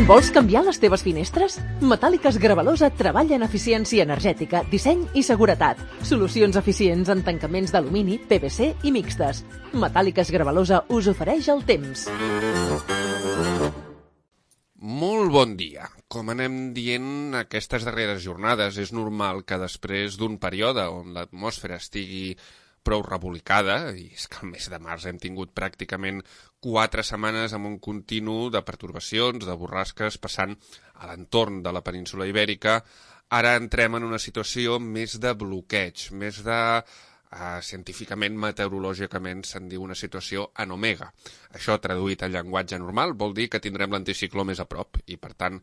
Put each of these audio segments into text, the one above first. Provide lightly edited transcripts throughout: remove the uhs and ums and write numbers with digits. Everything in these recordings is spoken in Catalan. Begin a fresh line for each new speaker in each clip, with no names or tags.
Vols canviar les teves finestres? Metàl·liques Gravalosa treballa en eficiència energètica, disseny i seguretat. Solucions eficients en tancaments d'alumini, PVC i mixtes. Metàl·liques Gravalosa us ofereix el temps.
Molt bon dia. Com anem dient aquestes darreres jornades, és normal que després d'un període on l'atmosfera estigui prou rebolicada, i és que el mes de març hem tingut pràcticament 4 setmanes amb un continu de pertorbacions, de borrasques, passant a l'entorn de la península Ibèrica, ara entrem en una situació més de bloqueig, més de... científicament, meteorològicament, se'n diu una situació en omega. Això, traduït en llenguatge normal, vol dir que tindrem l'anticicló més a prop i, per tant,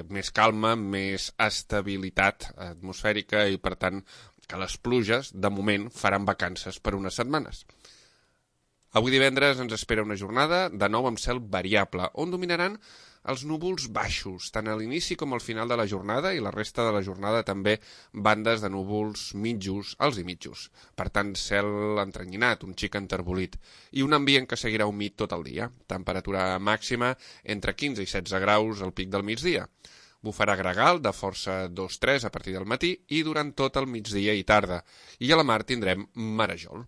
més calma, més estabilitat atmosfèrica i, per tant, que les pluges, de moment, faran vacances per unes setmanes. Avui divendres ens espera una jornada, de nou amb cel variable, on dominaran els núvols baixos, tant a l'inici com al final de la jornada, i la resta de la jornada també bandes de núvols mitjos, alts i mitjos. Per tant, cel entrenyinat, un xic enterbolit, i un ambient que seguirà humit tot el dia. Temperatura màxima entre 15 i 16 graus al pic del migdia. Bufarà gregal de força 2-3 a partir del matí i durant tot el migdia i tarda. I a la mar tindrem marejol.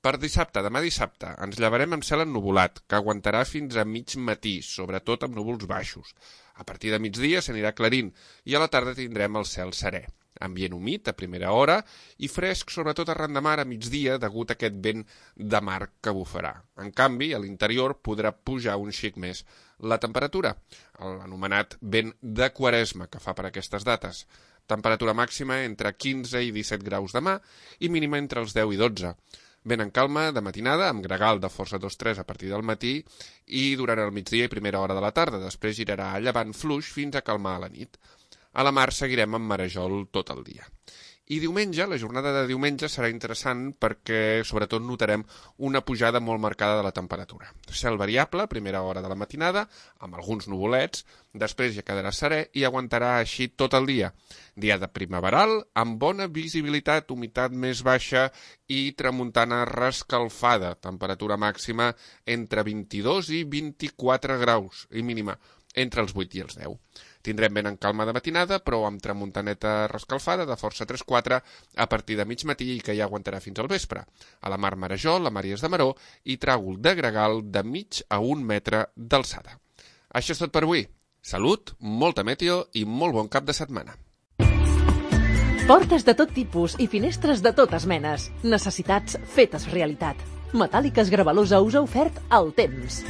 Per dissabte, demà dissabte, ens llevarem amb cel ennuvolat, que aguantarà fins a mig matí, sobretot amb núvols baixos. A partir de migdia s'anirà aclarint i a la tarda tindrem el cel serè. Ambient humit a primera hora i fresc, sobretot arran de mar a migdia, degut a aquest vent de mar que bufarà. En canvi, a l'interior podrà pujar un xic més la temperatura, l'anomenat vent de Quaresma que fa per aquestes dates. Temperatura màxima entre 15 i 17 graus demà i mínima entre els 10 i 12. Vent en calma de matinada, amb gregal de força 2-3 a partir del matí i durant el migdia i primera hora de la tarda. Després girarà a llevant fluix fins a calmar a la nit. A la mar seguirem amb marejol tot el dia. I diumenge, la jornada de diumenge serà interessant perquè sobretot notarem una pujada molt marcada de la temperatura. Cel variable, primera hora de la matinada, amb alguns nuvolets, després ja quedarà serè i aguantarà així tot el dia. Dia de primaveral, amb bona visibilitat, humitat més baixa i tramuntana rescalfada, temperatura màxima entre 22 i 24 graus i mínima entre els 8 i els 10. Tindrem vent en calma de matinada, però amb tramuntaneta rescalfada de força 3-4 a partir de mig matí i que ja aguantarà fins al vespre. A la mar marejol, a Màries de Maró i tràgol de gregal de mig a 1 metre d'alçada. Això és tot per avui. Salut, molta meteo i molt bon cap de setmana.
Portes de tot tipus i finestres de totes menes. Necessitats fetes realitat. Metàl·liques Gravalosa us ha ofert el temps.